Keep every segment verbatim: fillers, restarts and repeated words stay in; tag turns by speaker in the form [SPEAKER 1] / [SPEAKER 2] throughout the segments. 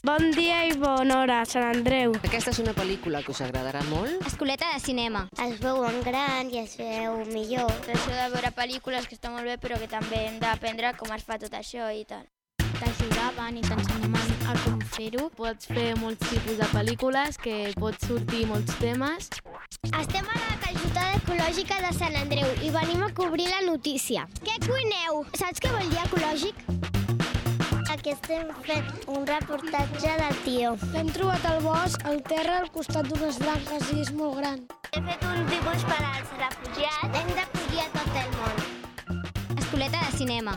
[SPEAKER 1] Bon dia i bona hora, Sant Andreu.
[SPEAKER 2] Aquesta és una pel·lícula que us agradarà molt.
[SPEAKER 3] Escoleta de cinema.
[SPEAKER 4] Es veuen gran i es veu millor.
[SPEAKER 5] Això de veure pel·lícules que està molt bé, però que també hem d'aprendre com es fa tot això i tal.
[SPEAKER 6] T'ajudaven i t'ensenyaven a com fer-ho. Pots fer molts tipus de pel·lícules, que pots sortir molts temes.
[SPEAKER 4] Estem a la calçotada ecològica de Sant Andreu i venim a cobrir la notícia. Què cuineu? Saps què vol dir ecològic? Aquí estem fent un reportatge de tio.
[SPEAKER 1] L'hem trobat al bosc, al terra, al costat d'unes branques i és molt gran.
[SPEAKER 4] He fet un dibuix per als refugiats. Hem d'acollir a tot el món.
[SPEAKER 3] Escoleta de cinema.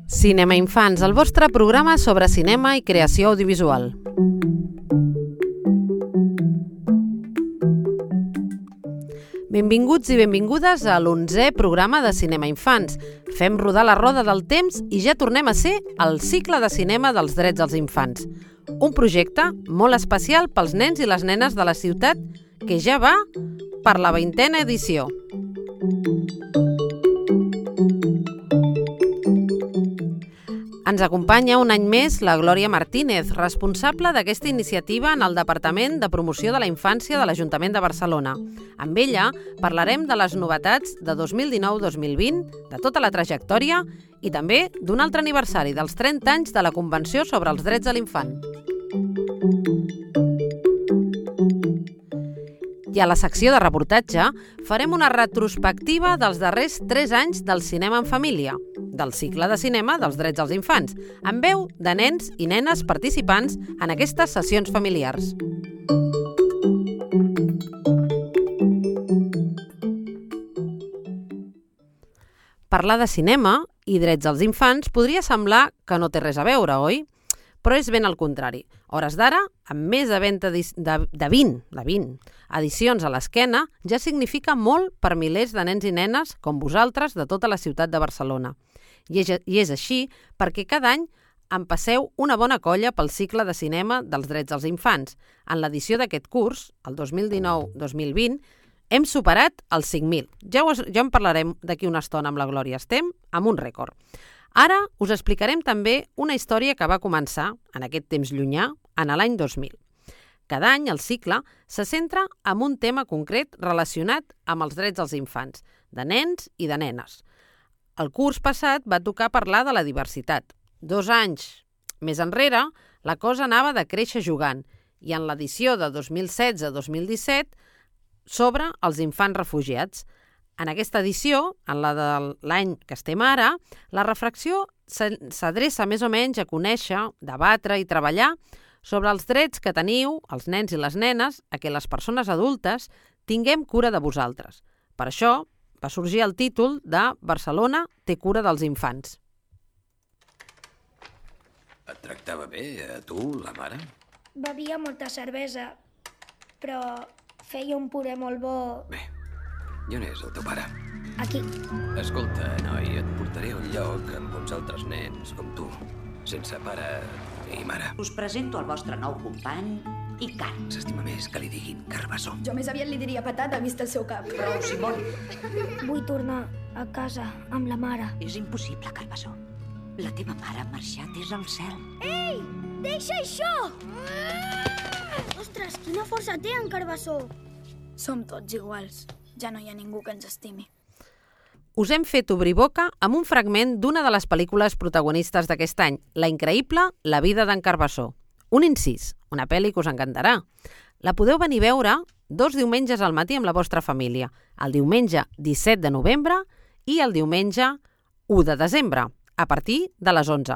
[SPEAKER 2] Cinema Infants, el vostre programa sobre cinema i creació audiovisual. Benvinguts i benvingudes a l'onzè programa de Cinema Infants. Fem rodar la roda del temps i ja tornem a ser al cicle de cinema dels drets dels infants. Un projecte molt especial pels nens i les nenes de la ciutat que ja va per la vintena edició. Ens acompanya un any més la Glòria Martínez, responsable d'aquesta iniciativa en el Departament de Promoció de la Infància de l'Ajuntament de Barcelona. Amb ella parlarem de les novetats de dos mil dinou dos mil vint, de tota la trajectòria i també d'un altre aniversari dels trenta anys de la Convenció sobre els Drets de l'Infant. I a la secció de reportatge farem una retrospectiva dels darrers tres anys del cinema en família, del cicle de cinema dels drets dels infants, amb veu de nens i nenes participants en aquestes sessions familiars. Parlar de cinema i drets dels infants podria semblar que no té res a veure, oi? Però és ben al contrari. Hores d'ara, amb més de vint, de, de vint, de vint edicions a l'esquena, ja significa molt per milers de nens i nenes com vosaltres de tota la ciutat de Barcelona. I és, I és així perquè cada any en passeu una bona colla pel cicle de cinema dels drets dels infants. En l'edició d'aquest curs, el dos mil dinou dos mil vint, hem superat els cinc mil. Ja, us, ja en parlarem d'aquí una estona amb la Glòria. Estem amb un rècord. Ara us explicarem també una història que va començar, en aquest temps llunyà, en l'any dos mil. Cada any el cicle se centra en un tema concret relacionat amb els drets dels infants, de nens i de nenes. El curs passat va tocar parlar de la diversitat. Dos anys més enrere, la cosa anava de créixer jugant i en l'edició de dos mil setze dos mil disset sobre els infants refugiats. En aquesta edició, en la de l'any que estem ara, la reflexió s'adreça més o menys a conèixer, debatre i treballar sobre els drets que teniu, els nens i les nenes, a que les persones adultes tinguem cura de vosaltres. Per això va sorgir el títol de Barcelona té cura dels infants.
[SPEAKER 7] Et tractava bé, a tu, la mare?
[SPEAKER 1] Bevia molta cervesa, però feia un puré molt bo.
[SPEAKER 7] Bé, i on és el teu pare?
[SPEAKER 1] Aquí.
[SPEAKER 7] Escolta, noi, et portaré a un lloc amb uns altres nens com tu, sense pare i mare.
[SPEAKER 8] Us presento el vostre nou company, Icar.
[SPEAKER 7] S'estima més que li diguin Carbassó.
[SPEAKER 5] Jo més aviat li diria patata, vist el seu cap.
[SPEAKER 8] Prou, Simón.
[SPEAKER 1] Vull tornar a casa amb la mare.
[SPEAKER 8] És impossible, Carbassó. La teva mare ha marxat, és al cel.
[SPEAKER 1] Ei, deixa això! Ostres, quina força té en Carbassó!
[SPEAKER 5] Som tots iguals. Ja no hi ha ningú que ens estimi.
[SPEAKER 2] Us hem fet obrir boca amb un fragment d'una de les pel·lícules protagonistes d'aquest any, la increïble La vida d'en Carbassó. Un incís, una pel·li que us encantarà. La podeu venir a veure dos diumenges al matí amb la vostra família, el diumenge disset de novembre i el diumenge u de desembre, a partir de les onze.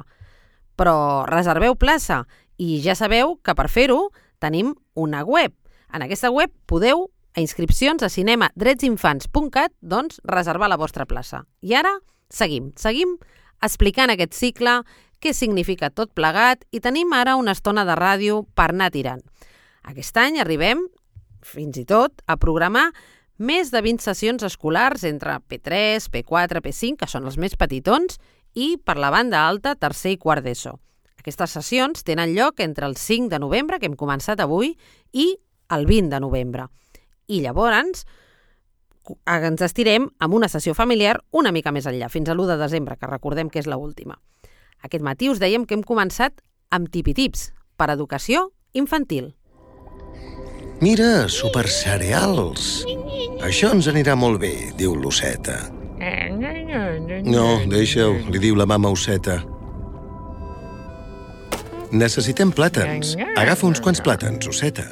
[SPEAKER 2] Però reserveu plaça i ja sabeu que per fer-ho tenim una web. En aquesta web podeu a inscripcions a cinema drets infants punt cat, doncs reservar la vostra plaça. I ara seguim, seguim explicant aquest cicle, què significa tot plegat i tenim ara una estona de ràdio per anar tirant. Aquest any arribem, fins i tot, a programar més de vint sessions escolars entre P tres, P quatre, P cinc, que són els més petitons, i per la banda alta, tercer i quart d'ESO. Aquestes sessions tenen lloc entre el cinc de novembre, que hem començat avui, i el vint de novembre. I llavors ens estirem amb una sessió familiar una mica més enllà, fins a l'u de desembre, que recordem que és l'última. Aquest matí us dèiem que hem començat amb tipitips per educació infantil.
[SPEAKER 9] Mira, supercereals. Això ens anirà molt bé, diu l'osseta. No, deixa-ho, li diu la mama osseta. Necessitem plàtans. Agafa uns quants plàtans, osseta.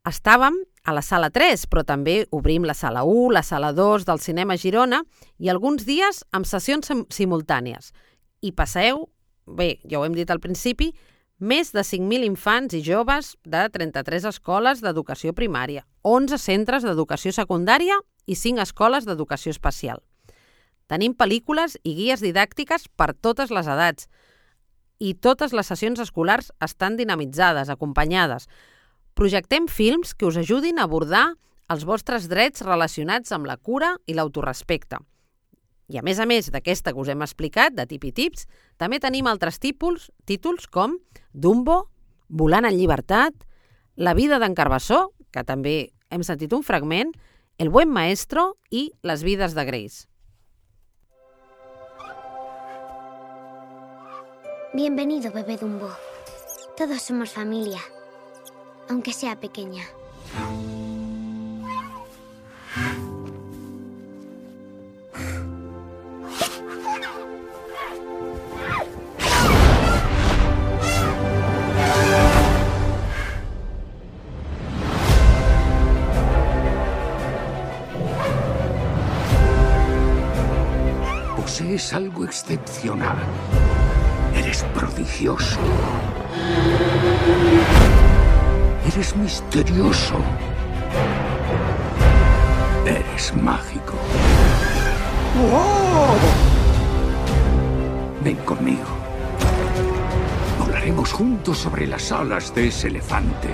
[SPEAKER 2] Estàvem a la sala tres, però també obrim la sala u, la sala dos del Cinema Girona i alguns dies amb sessions simultànies. I passeu, bé, ja ho hem dit al principi, més de cinc mil infants i joves de trenta-tres escoles d'educació primària, onze centres d'educació secundària i cinc escoles d'educació especial. Tenim pel·lícules i guies didàctiques per totes les edats i totes les sessions escolars estan dinamitzades, acompanyades. Projectem films que us ajudin a abordar els vostres drets relacionats amb la cura i l'autorespecte. I a més a més d'aquesta que us hem explicat, de tipitips, també tenim altres títols, títols com Dumbo, Volant en llibertat, La vida d'en Carbassó, que també hem sentit un fragment, El buen maestro i Les vides de Grace.
[SPEAKER 4] Bienvenido, bebé Dumbo. Todos somos familia, aunque sea pequeña.
[SPEAKER 10] Posees algo excepcional. Eres prodigioso. Eres misterioso. Eres mágico. ¡Oh! Ven conmigo. Volaremos juntos sobre las alas de ese elefante.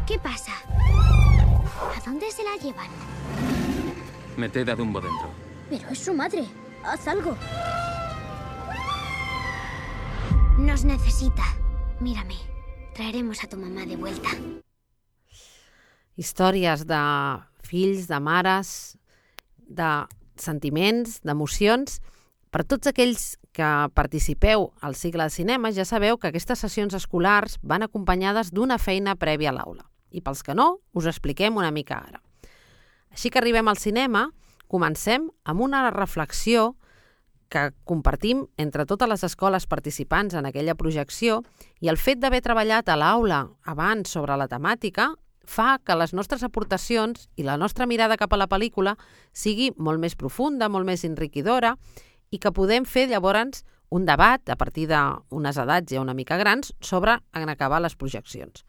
[SPEAKER 4] ¿Qué pasa? ¿A dónde se la llevan?
[SPEAKER 11] Meted a Dumbo dentro.
[SPEAKER 4] Pero es su madre. Haz algo. Nos necesita. Mírame. Traeremos a tu mamá de vuelta.
[SPEAKER 2] Històries de fills, de mares, de sentiments, d'emocions. Per tots aquells que participeu al cicle de cinema, ja sabeu que aquestes sessions escolars van acompanyades d'una feina prèvia a l'aula. I pels que no, us expliquem una mica ara. Així que arribem al cinema, comencem amb una reflexió que compartim entre totes les escoles participants en aquella projecció i el fet d'haver treballat a l'aula abans sobre la temàtica fa que les nostres aportacions i la nostra mirada cap a la pel·lícula sigui molt més profunda, molt més enriquidora i que podem fer llavors un debat a partir d'unes edats ja una mica grans sobre en acabar les projeccions.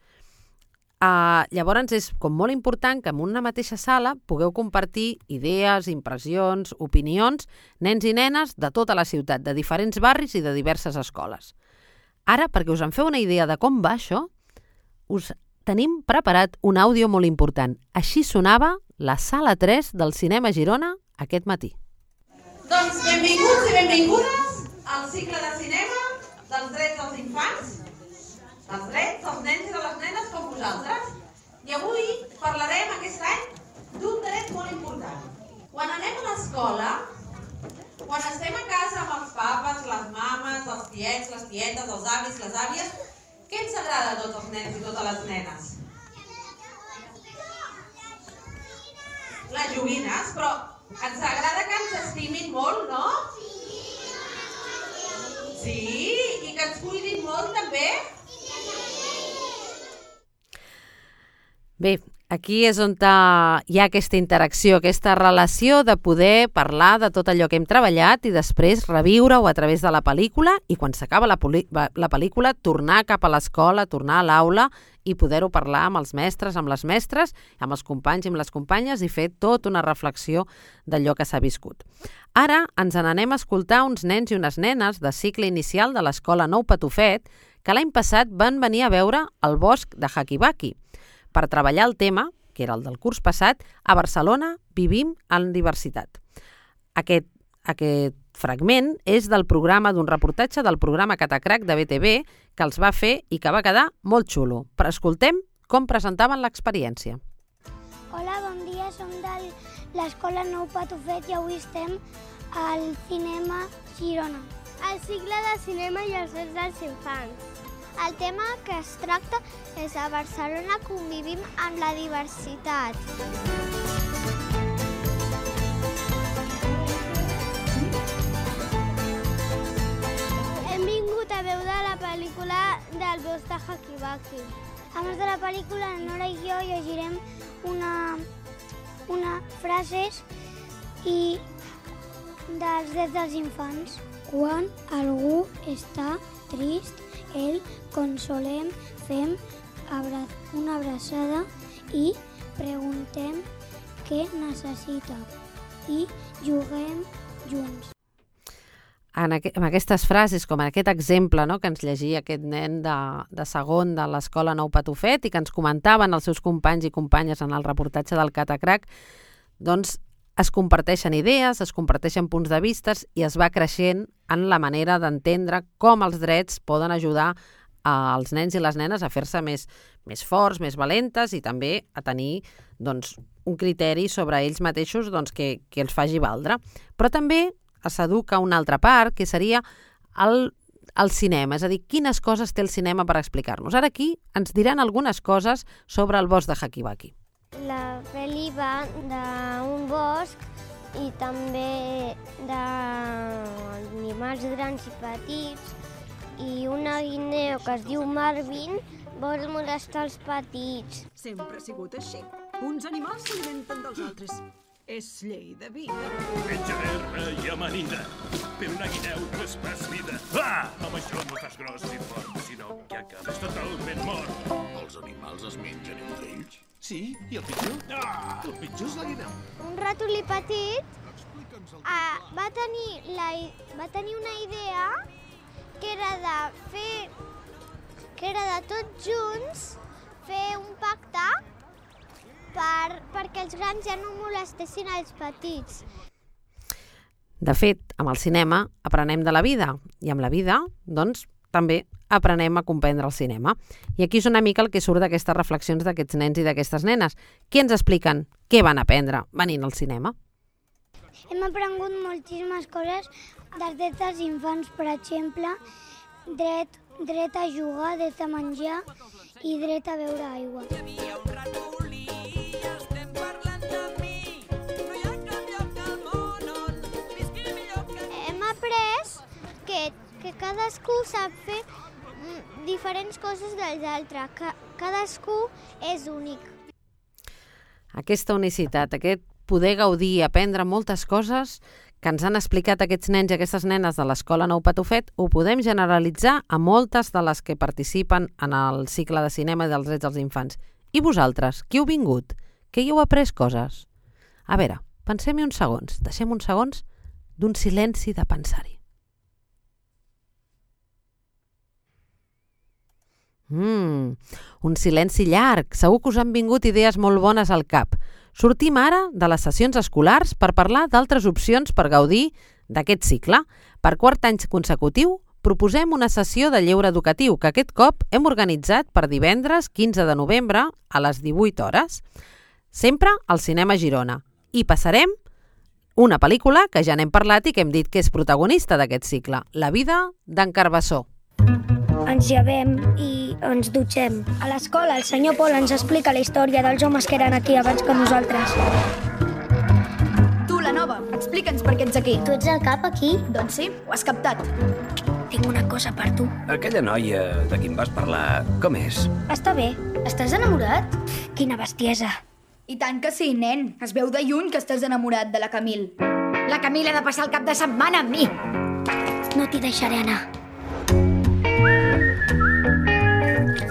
[SPEAKER 2] Uh, llavors és com molt important que en una mateixa sala pugueu compartir idees, impressions, opinions, nens i nenes de tota la ciutat, de diferents barris i de diverses escoles. Ara, perquè us en feu una idea de com va això, us tenim preparat un àudio molt important. Així sonava la sala tres del Cinema Girona aquest matí.
[SPEAKER 12] Doncs benvinguts i benvingudes al cicle de cinema dels drets dels infants, dels drets dels nens i de les nenes com vosaltres. I avui parlarem aquest any d'un dret molt important. Quan anem a l'escola, quan estem a casa amb els papes, les mames, els tiets, les tietes, els avis, les àvies, què ens agrada a tots els nens i totes les nenes? Les joguines, però ens agrada que ens estimin molt, no? Sí, i que ens cuidin molt també.
[SPEAKER 2] Bé, aquí és on hi ha aquesta interacció, aquesta relació de poder parlar de tot allò que hem treballat i després reviure-ho a través de la pel·lícula i quan s'acaba la, la pel·lícula tornar cap a l'escola, tornar a l'aula i poder-ho parlar amb els mestres, amb les mestres, amb els companys i amb les companyes i fer tota una reflexió d'allò que s'ha viscut. Ara ens n'anem a escoltar uns nens i unes nenes de cicle inicial de l'escola Nou Patufet que l'any passat van venir a veure el bosc de Hakibaki per treballar el tema, que era el del curs passat, a Barcelona vivim en diversitat. Aquest, aquest fragment és del programa d'un reportatge del programa Catacrac de B T V que els va fer i que va quedar molt xulo. Però escoltem com presentaven l'experiència.
[SPEAKER 4] Hola, bon dia, som de l'Escola Nou Patufet i avui estem al Cinema Girona.
[SPEAKER 13] El cicle de cinema i els drets dels infants. El tema que es tracta és a Barcelona convivim amb la diversitat. Hem vingut a veure la pel·lícula del bosc de Hakibaki.
[SPEAKER 4] Abans de la pel·lícula, la Nora i jo llegirem una, una frases i dels drets dels infants. Quan algú està trist, el consolem, fem abra una abraçada i preguntem què necessita i juguem junts.
[SPEAKER 2] En, aqu en aquestes frases, com en aquest exemple, no?, que ens llegia aquest nen de, de segon de l'Escola Nou Patufet i que ens comentaven els seus companys i companyes en el reportatge del Catacrac, doncs es comparteixen idees, es comparteixen punts de vistes i es va creixent en la manera d'entendre com els drets poden ajudar als nens i les nenes a fer-se més, més forts, més valentes i també a tenir doncs, un criteri sobre ells mateixos doncs, que, que els faci valdre. Però també s'educa una altra part, que seria el, el cinema, és a dir, quines coses té el cinema per explicar-nos. Ara aquí ens diran algunes coses sobre el bosc de Hakibaki.
[SPEAKER 13] La pel·li va d'un bosc i també d'animals grans i petits i una guineu que es diu Marvin vol molestar els petits.
[SPEAKER 14] Sempre ha sigut així. Uns animals s'alimenten dels altres. És llei de vida.
[SPEAKER 15] Menja terra i amanida, per una guineu que es fas vida. Ah! Amb això no fas gros ni fort, sinó que acabes totalment mort.
[SPEAKER 16] Els animals es mengen entre ells? Sí, i el pitjor? Ah! El pitjor és la guineu.
[SPEAKER 13] Un ratolí petit ah, va, tenir la, va tenir una idea que era de fer, que era de tots junts fer un pacte Per, perquè els grans ja no molestessin els petits.
[SPEAKER 2] De fet, amb el cinema aprenem de la vida i amb la vida, doncs, també aprenem a comprendre el cinema. I aquí és una mica el que surt d'aquestes reflexions d'aquests nens i d'aquestes nenes. Què ens expliquen? Què van aprendre venint al cinema?
[SPEAKER 4] Hem aprengut moltíssimes coses dels drets dels infants, per exemple, dret, dret a jugar, dret a menjar i dret a beure aigua.
[SPEAKER 13] Que, que cadascú sap fer diferents coses dels altres. Ca, cadascú és únic.
[SPEAKER 2] Aquesta unicitat, aquest poder gaudir i aprendre moltes coses que ens han explicat aquests nens i aquestes nenes de l'Escola Nou Patufet, ho podem generalitzar a moltes de les que participen en el cicle de cinema dels drets dels infants. I vosaltres, qui heu vingut? Que hi heu après coses? A veure, pensem-hi uns segons, deixem uns segons d'un silenci de pensar-hi. Mm, un silenci llarg. Segur que us han vingut idees molt bones al cap. Sortim ara de les sessions escolars per parlar d'altres opcions per gaudir d'aquest cicle. Per quart any consecutiu proposem una sessió de lleure educatiu que aquest cop hem organitzat per divendres quinze de novembre a les divuit hores. Sempre al Cinema Girona. I passarem una pel·lícula que ja n'hem parlat i que hem dit que és protagonista d'aquest cicle, La vida d'en Carbassó.
[SPEAKER 1] Ens llevem i ens dutxem. A l'escola el senyor Pol ens explica la història dels homes que eren aquí abans que nosaltres.
[SPEAKER 17] Tu, la nova, explica'ns per què ets aquí.
[SPEAKER 4] Tu ets el cap aquí?
[SPEAKER 17] Doncs sí, ho has captat.
[SPEAKER 1] Tinc una cosa per tu.
[SPEAKER 7] Aquella noia de qui em vas parlar, com és?
[SPEAKER 1] Està bé.
[SPEAKER 17] Estàs enamorat?
[SPEAKER 1] Quina bestiesa.
[SPEAKER 17] I tant que sí, nen. Es veu de lluny que estàs enamorat de la Camil. La Camil ha de passar el cap de setmana amb mi.
[SPEAKER 1] No t'hi deixaré anar.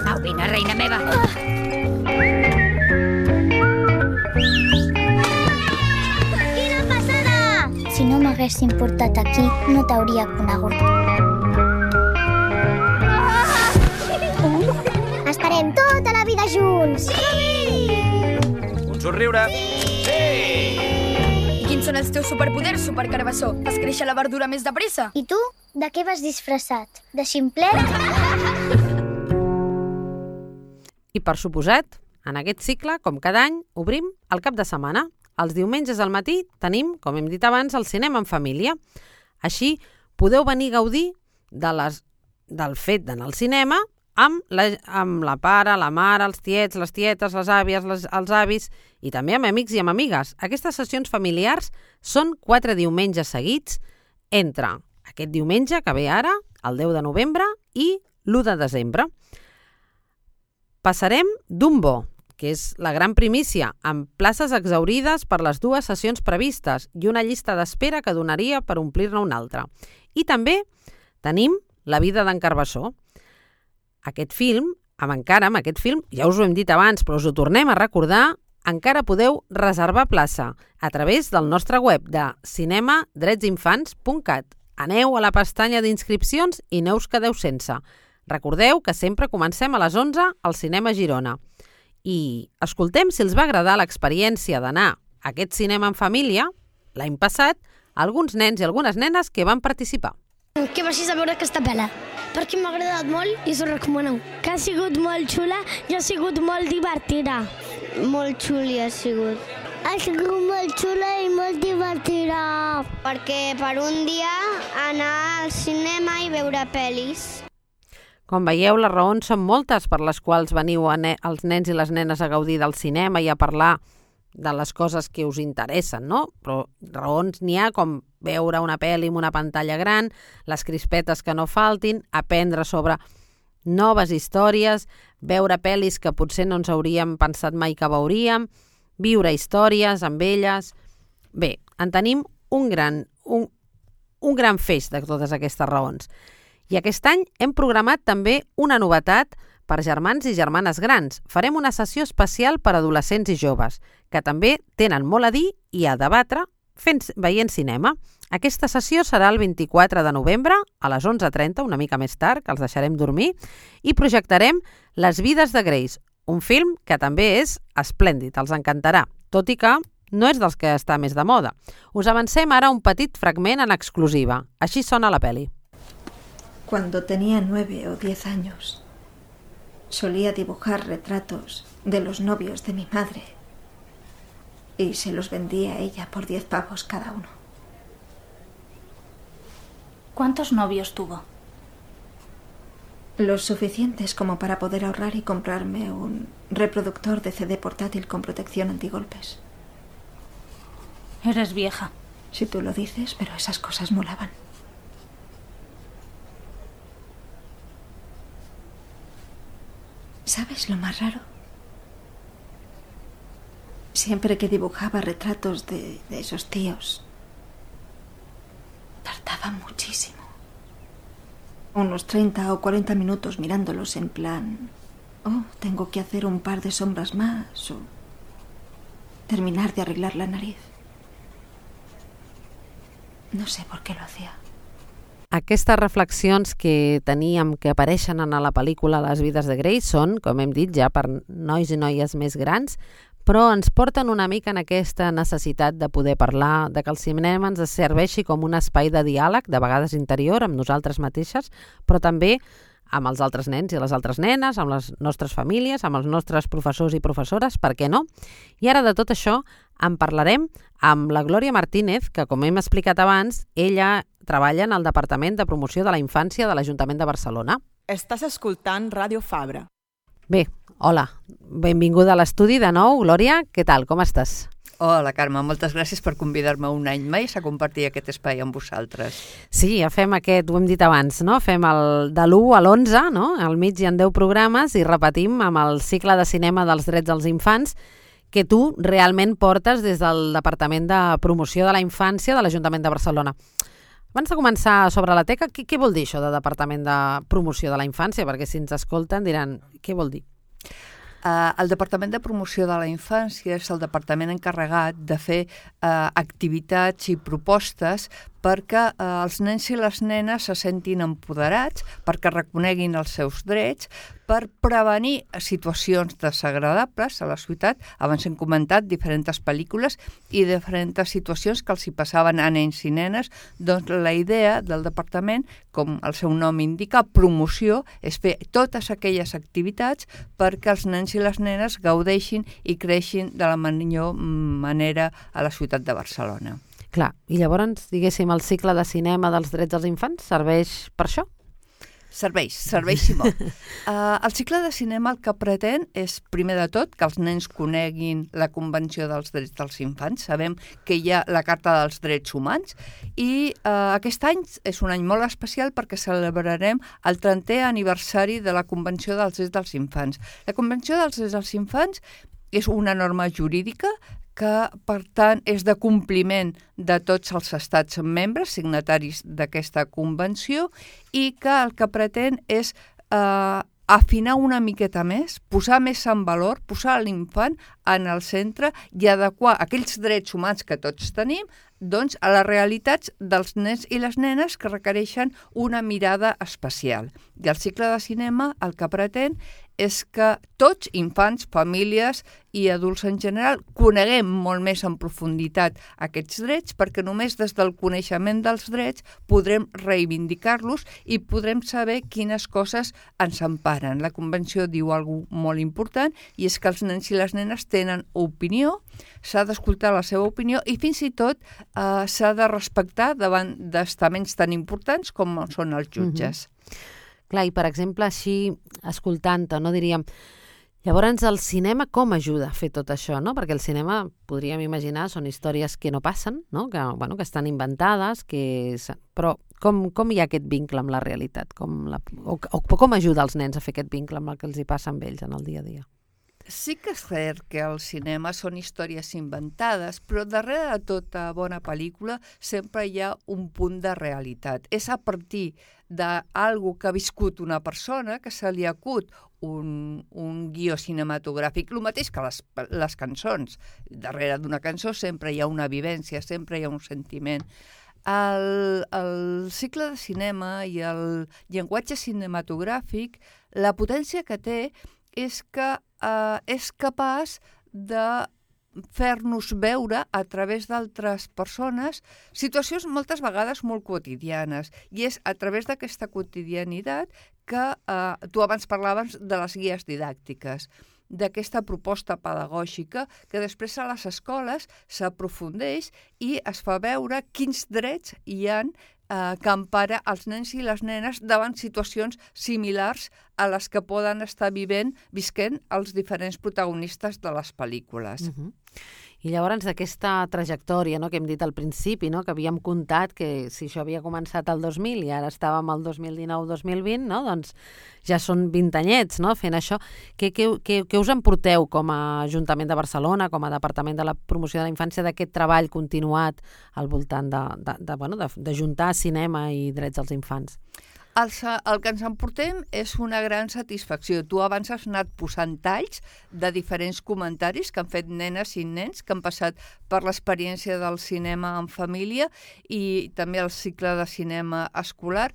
[SPEAKER 8] Au, vine, reina meva.
[SPEAKER 4] Ah. Quina passada!
[SPEAKER 13] Si no m'haguessin portat aquí, no t'hauria conegut.
[SPEAKER 4] Ah.
[SPEAKER 13] Estarem tota la vida junts!
[SPEAKER 4] Sí!
[SPEAKER 7] Un somriure!
[SPEAKER 17] Sí! Sí! I quins són els teus superpoders, supercarbassó? Fas créixer la verdura més de pressa?
[SPEAKER 13] I tu? De què vas disfressat? De ximplet?
[SPEAKER 2] I per suposat, En aquest cicle, com cada any, obrim el cap de setmana. Els diumenges al matí tenim, com hem dit abans, el cinema en família. Així, podeu venir a gaudir de les, del fet d'anar al cinema amb la, amb la pare, la mare, els tiets, les tietes, les àvies, les, els avis i també amb amics i amb amigues. Aquestes sessions familiars són quatre diumenges seguits entre aquest diumenge que ve ara, el deu de novembre, i l'u de desembre. Passarem Dumbo, que és la gran primícia, amb places exhaurides per les dues sessions previstes i una llista d'espera que donaria per omplir-ne una altra. I també tenim La vida d'en Carbassó. Aquest film, amb encara amb aquest film, ja us ho hem dit abans, però us ho tornem a recordar, encara podeu reservar plaça a través del nostre web de cinema drets infants punt cat. Aneu a la pestanya d'inscripcions i no us quedeu sense. Recordeu que sempre comencem a les onze al Cinema Girona. I escoltem si els va agradar l'experiència d'anar a aquest cinema en família l'any passat alguns nens i algunes nenes que van participar.
[SPEAKER 13] Que vagis a veure aquesta pel·la, perquè m'ha agradat molt i us ho recomano. Que ha sigut molt xula i ha sigut molt divertida.
[SPEAKER 4] Molt xuli ha sigut. Ha sigut molt xula i molt divertida. Perquè per un dia anar al cinema i veure pel·lis.
[SPEAKER 2] Com veieu, les raons són moltes per les quals veniu a ne- els nens i les nenes a gaudir del cinema i a parlar de les coses que us interessen, no? Però raons n'hi ha com veure una pel·li amb una pantalla gran, les crispetes que no faltin, aprendre sobre noves històries, veure pel·lis que potser no ens hauríem pensat mai que veuríem, viure històries amb elles. Bé, en tenim un gran, un, un gran feix de totes aquestes raons. I aquest any hem programat també una novetat per germans i germanes grans. Farem una sessió especial per adolescents i joves, que també tenen molt a dir i a debatre fent, veient cinema. Aquesta sessió serà el vint-i-quatre de novembre a les onze trenta, una mica més tard, que els deixarem dormir, i projectarem Les vides de Grace, un film que també és esplèndid, els encantarà, tot i que no és dels que està més de moda. Us avancem ara un petit fragment en exclusiva. Així sona la peli.
[SPEAKER 18] Cuando tenía nueve o diez años, solía dibujar retratos de los novios de mi madre y se los vendía a ella por diez pavos cada uno.
[SPEAKER 19] ¿Cuántos novios tuvo?
[SPEAKER 18] Los suficientes como para poder ahorrar y comprarme un reproductor de C D portátil con protección antigolpes.
[SPEAKER 19] Eres vieja.
[SPEAKER 18] Si tú lo dices, pero esas cosas molaban. ¿Sabes lo más raro? Siempre que dibujaba retratos de, de esos tíos, tardaba muchísimo. Unos treinta o cuarenta minutos mirándolos en plan, oh, tengo que hacer un par de sombras más o terminar de arreglar la nariz. No sé por qué lo hacía.
[SPEAKER 2] Aquestes reflexions que teníem que apareixen en la pel·lícula Les vides de Grace són, com hem dit, ja per nois i noies més grans, però ens porten una mica en aquesta necessitat de poder parlar, de que el cinema ens serveixi com un espai de diàleg, de vegades interior, amb nosaltres mateixes, però també amb els altres nens i les altres nenes, amb les nostres famílies, amb els nostres professors i professores, per què no? I ara de tot això en parlarem amb la Glòria Martínez, que com hem explicat abans, ella treballa en el Departament de Promoció de la Infància de l'Ajuntament de Barcelona.
[SPEAKER 20] Estàs escoltant Ràdio Fabra.
[SPEAKER 2] Bé, hola, benvinguda a l'estudi de nou. Glòria, què tal, com estàs?
[SPEAKER 21] Hola, Carme, moltes gràcies per convidar-me un any més a compartir aquest espai amb vosaltres.
[SPEAKER 2] Sí, ja fem aquest, ho hem dit abans, no? Fem el de l'u a l'onze, no? Al mig hi ha deu programes i repetim amb el cicle de cinema dels drets dels infants que tu realment portes des del Departament de Promoció de la Infància de l'Ajuntament de Barcelona. Abans de començar sobre la teca, què, què vol dir això de Departament de Promoció de la Infància? Perquè si ens escolten diran, què vol dir?
[SPEAKER 21] Uh, el Departament de Promoció de la Infància és el departament encarregat de fer uh, activitats i propostes perquè eh, els nens i les nenes se sentin empoderats, perquè reconeguin els seus drets, per prevenir situacions desagradables a la ciutat. Abans hem comentat diferents pel·lícules i diferents situacions que els hi passaven a nens i nenes. Doncs la idea del departament, com el seu nom indica, promoció, és fer totes aquelles activitats perquè els nens i les nenes gaudeixin i creixin de la millor manera a la ciutat de Barcelona.
[SPEAKER 2] Clar, i llavors, diguéssim, el cicle de cinema dels drets dels infants serveix per això?
[SPEAKER 21] Serveix, serveix i molt. Uh, el cicle de cinema el que pretén és, primer de tot, que els nens coneguin la Convenció dels Drets dels Infants. Sabem que hi ha la Carta dels Drets Humans i uh, aquest any és un any molt especial perquè celebrarem el trentè aniversari de la Convenció dels Drets dels Infants. La Convenció dels Drets dels Infants és una norma jurídica que, per tant, és de compliment de tots els estats membres signataris d'aquesta convenció i que el que pretén és eh, afinar una miqueta més, posar més en valor, posar l'infant en el centre i adequar aquells drets humans que tots tenim doncs, a les realitats dels nens i les nenes que requereixen una mirada especial. I el cicle de cinema el que pretén és que tots, infants, famílies i adults en general, coneguem molt més en profunditat aquests drets, perquè només des del coneixement dels drets podrem reivindicar-los i podrem saber quines coses ens emparen. La Convenció diu alguna cosa molt important i és que els nens i les nenes tenen opinió, s'ha d'escoltar la seva opinió i fins i tot eh, s'ha de respectar davant d'estaments tan importants com són els jutges.
[SPEAKER 2] Mm-hmm. Clar, i per exemple, així, escoltant-te, no diríem, llavors el cinema com ajuda a fer tot això, no? Perquè el cinema, podríem imaginar, són històries que no passen, no? Que, bueno, que estan inventades, que... però com, com hi ha aquest vincle amb la realitat? Com la... o, o com ajuda els nens a fer aquest vincle amb el que els hi passa amb ells en el dia a dia?
[SPEAKER 21] Sí que és cert que el cinema són històries inventades, però darrere de tota bona pel·lícula sempre hi ha un punt de realitat. És a partir d'algo que ha viscut una persona que se li acut un, un guió cinematogràfic, el mateix que les, les cançons. Darrere d'una cançó sempre hi ha una vivència, sempre hi ha un sentiment. El, el cicle de cinema i el llenguatge cinematogràfic, la potència que té és que eh, és capaç de fer-nos veure a través d'altres persones situacions moltes vegades molt quotidianes. I és a través d'aquesta quotidianitat que eh, tu abans parlaves de les guies didàctiques, d'aquesta proposta pedagògica que després a les escoles s'aprofundeix i es fa veure quins drets hi ha eh, que empara els nens i les nenes davant situacions similars a les que poden estar vivent, visquent els diferents protagonistes de les pel·lícules.
[SPEAKER 2] Uh-huh. I llavors d'aquesta trajectòria, no, que hem dit al principi, no, que havíem comptat que si això havia començat el dos mil i ara estàvem al dos mil dinou dos mil vint, no, doncs ja són vint anyets, no, fent això. Què, què, què, què us en porteu com a Ajuntament de Barcelona, com a Departament de la Promoció de la Infància, d'aquest treball continuat al voltant de, de, de, bueno, de, de juntar cinema i drets dels infants?
[SPEAKER 21] El, el que ens emportem és una gran satisfacció. Tu abans has anat posant talls de diferents comentaris que han fet nenes i nens que han passat per l'experiència del cinema en família i també el cicle de cinema escolar.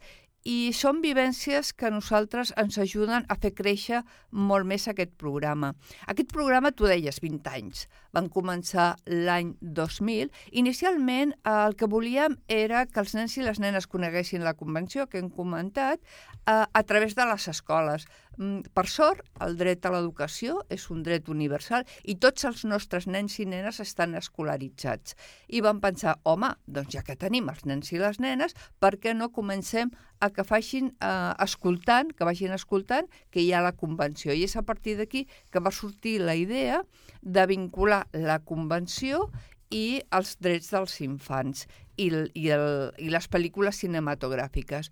[SPEAKER 21] I són vivències que a nosaltres ens ajuden a fer créixer molt més aquest programa. Aquest programa, tu deies, vint anys. Van començar l'any dos mil. Inicialment, el que volíem era que els nens i les nenes coneguessin la convenció que hem comentat a, a través de les escoles. Per sort, el dret a l'educació és un dret universal i tots els nostres nens i nenes estan escolaritzats. I vam pensar, home, doncs ja que tenim els nens i les nenes, per què no comencem a que facin eh, escoltant, que vagin escoltant que hi ha la convenció. I és a partir d'aquí que va sortir la idea de vincular la convenció i els drets dels infants i, i, el, i les pel·lícules cinematogràfiques.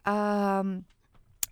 [SPEAKER 21] Uh,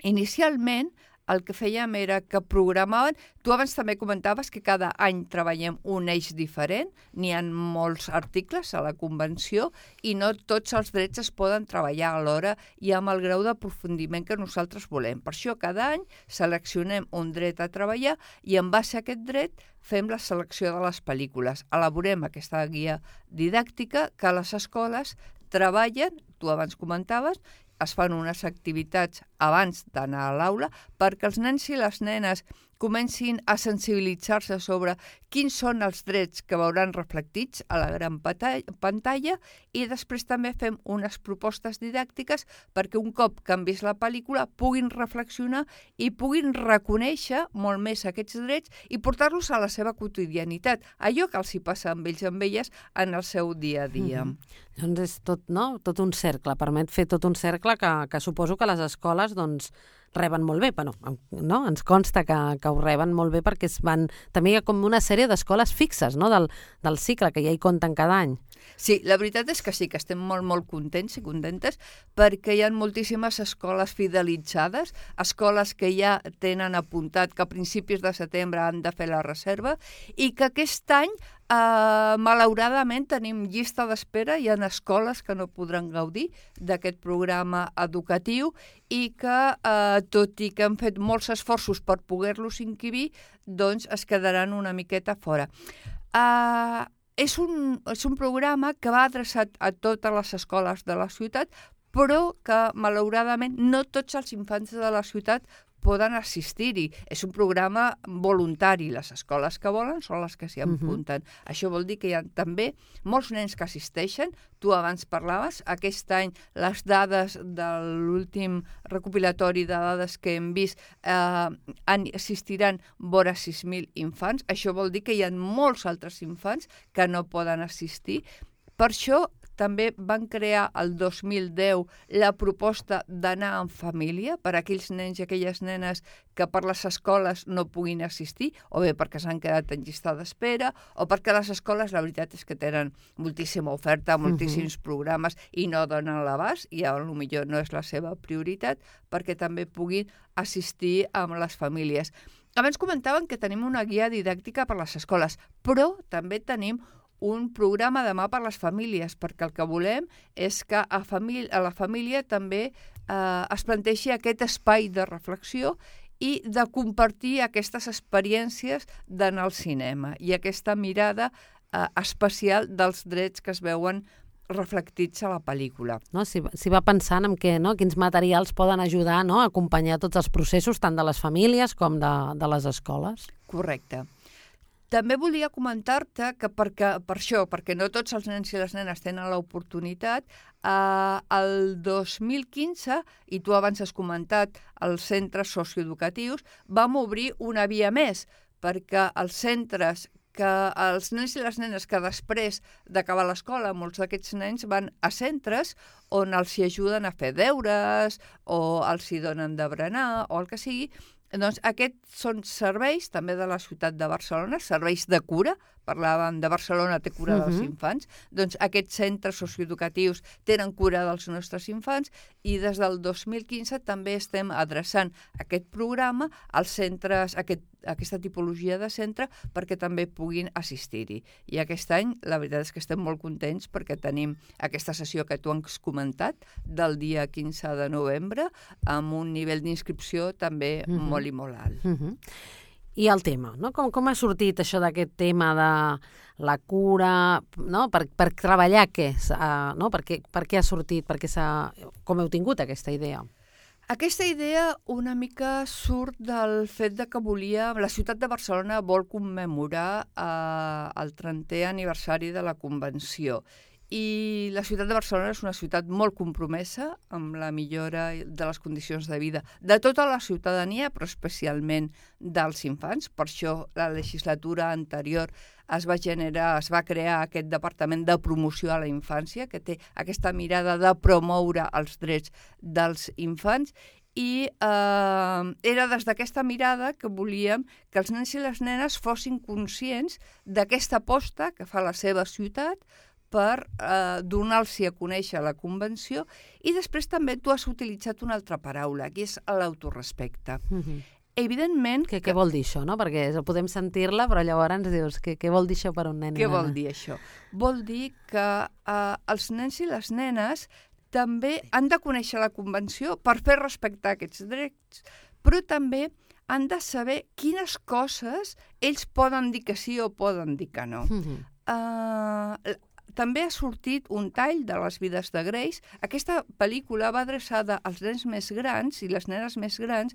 [SPEAKER 21] inicialment, el que fèiem era que programaven... Tu abans també comentaves que cada any treballem un eix diferent, n'hi ha molts articles a la Convenció i no tots els drets es poden treballar alhora i amb el grau d'aprofundiment que nosaltres volem. Per això cada any seleccionem un dret a treballar i en base a aquest dret fem la selecció de les pel·lícules. Elaborem aquesta guia didàctica que les escoles treballen, tu abans comentaves, es fan unes activitats abans d'anar a l'aula perquè els nens i les nenes comencin a sensibilitzar-se sobre quins són els drets que veuran reflectits a la gran pantalla i després també fem unes propostes didàctiques perquè un cop que han vist la pel·lícula puguin reflexionar i puguin reconèixer molt més aquests drets i portar-los a la seva quotidianitat, allò que els hi passa amb ells i amb elles en el seu dia a dia.
[SPEAKER 2] Mm-hmm. Doncs és tot, no? Tot un cercle, permet fer tot un cercle que, que suposo que les escoles doncs, reben molt bé, però no? Ens consta que, que ho reben molt bé perquè es van... també hi ha com una sèrie d'escoles fixes, no? del, del cicle, que ja hi compten cada any.
[SPEAKER 21] Sí, la veritat és que sí, que estem molt, molt contents i contentes perquè hi ha moltíssimes escoles fidelitzades, escoles que ja tenen apuntat que a principis de setembre han de fer la reserva i que aquest any, eh, malauradament, tenim llista d'espera, hi ha escoles que no podran gaudir d'aquest programa educatiu i que, eh, tot i que han fet molts esforços per poder-los inscriure, doncs es quedaran una miqueta fora. Eh, És un, és un programa que va adreçat a totes les escoles de la ciutat, però que, malauradament, no tots els infants de la ciutat poden assistir-hi. És un programa voluntari. Les escoles que volen són les que s'hi apunten. Uh-huh. Això vol dir que hi ha també molts nens que assisteixen. Tu abans parlaves, aquest any les dades de l'últim recopilatori de dades que hem vist eh, assistiran vora sis mil infants. Això vol dir que hi ha molts altres infants que no poden assistir. Per això també van crear el dos mil deu la proposta d'anar en família per a aquells nens i aquelles nenes que per les escoles no puguin assistir, o bé perquè s'han quedat en llista d'espera, o perquè les escoles, la veritat és que tenen moltíssima oferta, moltíssims uh-huh. programes i no donen l'abast, i potser no és la seva prioritat, perquè també puguin assistir amb les famílies. Abans comentaven que tenim una guia didàctica per a les escoles, però també tenim un programa demà per a les famílies, perquè el que volem és que a, família, a la família també eh, es planteixi aquest espai de reflexió i de compartir aquestes experiències d'anar al cinema i aquesta mirada eh, especial dels drets que es veuen reflectits a la pel·lícula.
[SPEAKER 2] No, si, si va pensant en què, no? Quins materials poden ajudar, no? A acompanyar tots els processos, tant de les famílies com de, de les escoles.
[SPEAKER 21] Correcte. També volia comentar-te que perquè, per això, perquè no tots els nens i les nenes tenen l'oportunitat, eh, el dos mil quinze, i tu abans has comentat, els centres socioeducatius, vam obrir una via més, perquè els centres que els nens i les nenes que després d'acabar l'escola, molts d'aquests nens van a centres on els hi ajuden a fer deures o els hi donen de berenar o el que sigui. Doncs aquests són serveis també de la ciutat de Barcelona, serveis de cura, parlàvem de Barcelona té cura uh-huh. dels infants, doncs aquests centres socioeducatius tenen cura dels nostres infants i des del dos mil quinze també estem adreçant aquest programa als centres, aquest, aquesta tipologia de centre perquè també puguin assistir-hi. I aquest any la veritat és que estem molt contents perquè tenim aquesta sessió que tu has comentat del dia quinze de novembre amb un nivell d'inscripció també uh-huh. molt i molt alt.
[SPEAKER 2] Uh-huh. I el tema, no? Com, com ha sortit això d'aquest tema de la cura, no? Per, per treballar què? Uh, no? Per, què, per què ha sortit? Per què com heu tingut aquesta idea?
[SPEAKER 21] Aquesta idea una mica surt del fet de que volia... La ciutat de Barcelona vol commemorar uh, el trentè aniversari de la Convenció. I la ciutat de Barcelona és una ciutat molt compromesa amb la millora de les condicions de vida de tota la ciutadania, però especialment dels infants. Per això la legislatura anterior es va generar, es va crear aquest departament de promoció a la infància, que té aquesta mirada de promoure els drets dels infants, i eh, era des d'aquesta mirada que volíem que els nens i les nenes fossin conscients d'aquesta aposta que fa la seva ciutat per eh, donar-los a conèixer la Convenció, i després també tu has utilitzat una altra paraula, que és l'autorespecte. Uh-huh. Evidentment...
[SPEAKER 2] Que, que... Què vol dir això, no? Perquè podem sentir-la, però llavors ens dius, què, què vol dir això per un nen?
[SPEAKER 21] Què vol dir això? Vol dir que eh, els nens i les nenes també han de conèixer la Convenció per fer respectar aquests drets, però també han de saber quines coses ells poden dir que sí o poden dir que no. Uh-huh. Uh, també ha sortit un tall de Les vides de Grace. Aquesta pel·lícula va adreçada als nens més grans i les nenes més grans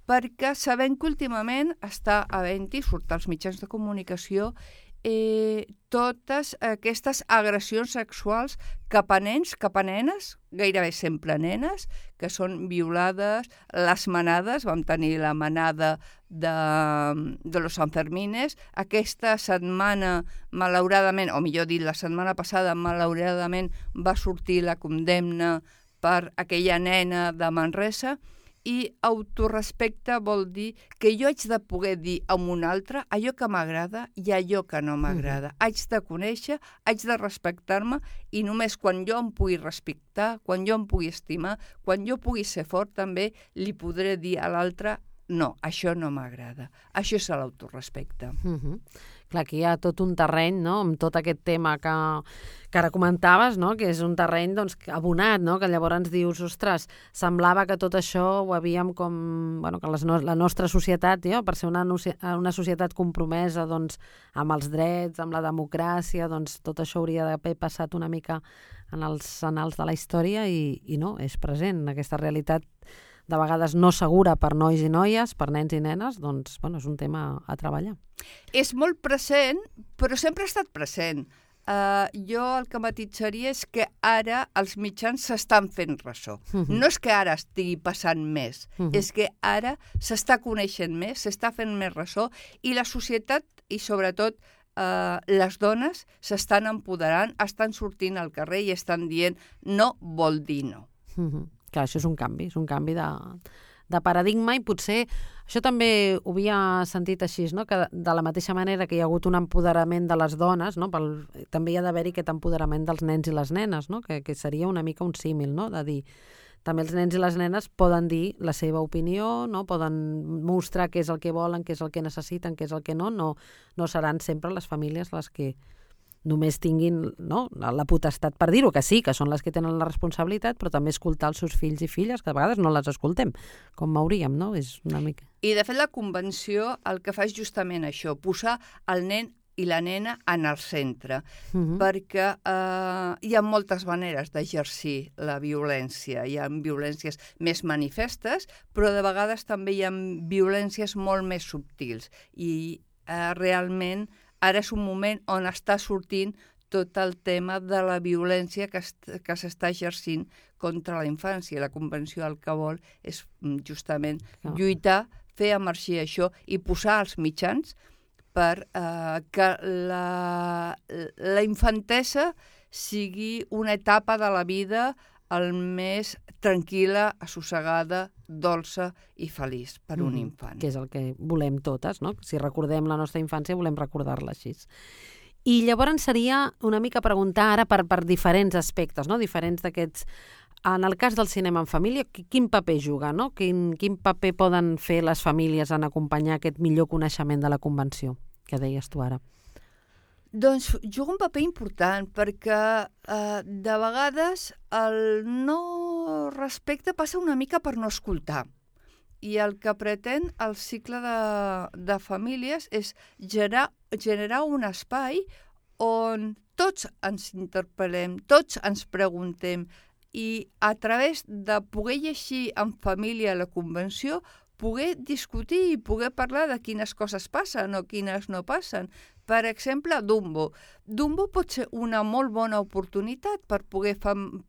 [SPEAKER 21] perquè sabem que últimament està havent-hi, surt als mitjans de comunicació, eh, totes aquestes agressions sexuals cap a nens, cap a nenes, gairebé sempre nenes, que són violades, les manades, vam tenir la manada de, de los Sanfermines, aquesta setmana, malauradament, o millor dit, la setmana passada, malauradament, va sortir la condemna per aquella nena de Manresa, i autorrespecte vol dir que jo haig de poder dir a un altre allò que m'agrada i allò que no m'agrada. Mm. Haig de conèixer, haig de respectar-me i només quan jo em pugui respectar, quan jo em pugui estimar, quan jo pugui ser fort també li podré dir a l'altre no, això no m'agrada. Això és l'autorespecte.
[SPEAKER 2] Mm-hmm. Clar, aquí hi ha tot un terreny, no?, amb tot aquest tema que, que ara comentaves, no?, que és un terreny doncs, abonat, no?, que llavors ens dius, ostres, semblava que tot això ho havíem com... Bueno, que les no, la nostra societat, jo, per ser una, una societat compromesa doncs, amb els drets, amb la democràcia, doncs tot això hauria d'haver passat una mica en els annals de la història i, i no, és present, aquesta realitat de vegades no segura per nois i noies, per nens i nenes, doncs bueno, és un tema a treballar.
[SPEAKER 21] És molt present, però sempre ha estat present. Uh, jo el que matitzaria és que ara els mitjans s'estan fent ressò. Uh-huh. No és que ara estigui passant més, uh-huh. és que ara s'està coneixent més, s'està fent més ressò i la societat i sobretot uh, les dones s'estan empoderant, estan sortint al carrer i estan dient no vol dir no.
[SPEAKER 2] Uh-huh. Clar, això és un canvi, és un canvi de, de paradigma i potser això també ho havia sentit així, no? Que de la mateixa manera que hi ha hagut un empoderament de les dones, no? Pel, també hi ha d'haver-hi aquest empoderament dels nens i les nenes, no? que, que seria una mica un símil, no? De dir, també els nens i les nenes poden dir la seva opinió, no? Poden mostrar què és el que volen, què és el que necessiten, què és el que no, no, no seran sempre les famílies les que només tinguin no, la potestat per dir-ho, que sí, que són les que tenen la responsabilitat, però també escoltar els seus fills i filles, que a vegades no les escoltem, com hauríem, no? És una mica...
[SPEAKER 21] I, de fet, la convenció el que fa és justament això, posar el nen i la nena en el centre, uh-huh. perquè eh, hi ha moltes maneres d'exercir la violència. Hi ha violències més manifestes, però de vegades també hi ha violències molt més subtils. I eh, realment ara és un moment on està sortint tot el tema de la violència que, que s'està exercint contra la infància. La Convenció el que vol és justament no. lluitar, fer emergir això i posar els mitjans per eh, que la, la infantesa sigui una etapa de la vida el més tranquil·la, assossegada, dolça i feliç per un mm, infant.
[SPEAKER 2] Que és el que volem totes, no? Si recordem la nostra infància, volem recordar-la així. I llavors seria una mica preguntar ara per, per diferents aspectes, no? Diferents d'aquests... En el cas del cinema en família, quin paper juga, no? Quin, quin paper poden fer les famílies en acompanyar aquest millor coneixement de la Convenció, que deies tu ara?
[SPEAKER 21] Doncs juga un paper important perquè eh, de vegades el no respecte passa una mica per no escoltar. I el que pretén el cicle de, de famílies és generar, generar un espai on tots ens interpel·lem, tots ens preguntem i a través de poder llegir en família la Convenció poder discutir i poder parlar de quines coses passen o quines no passen. Per exemple, Dumbo. Dumbo pot ser una molt bona oportunitat per poder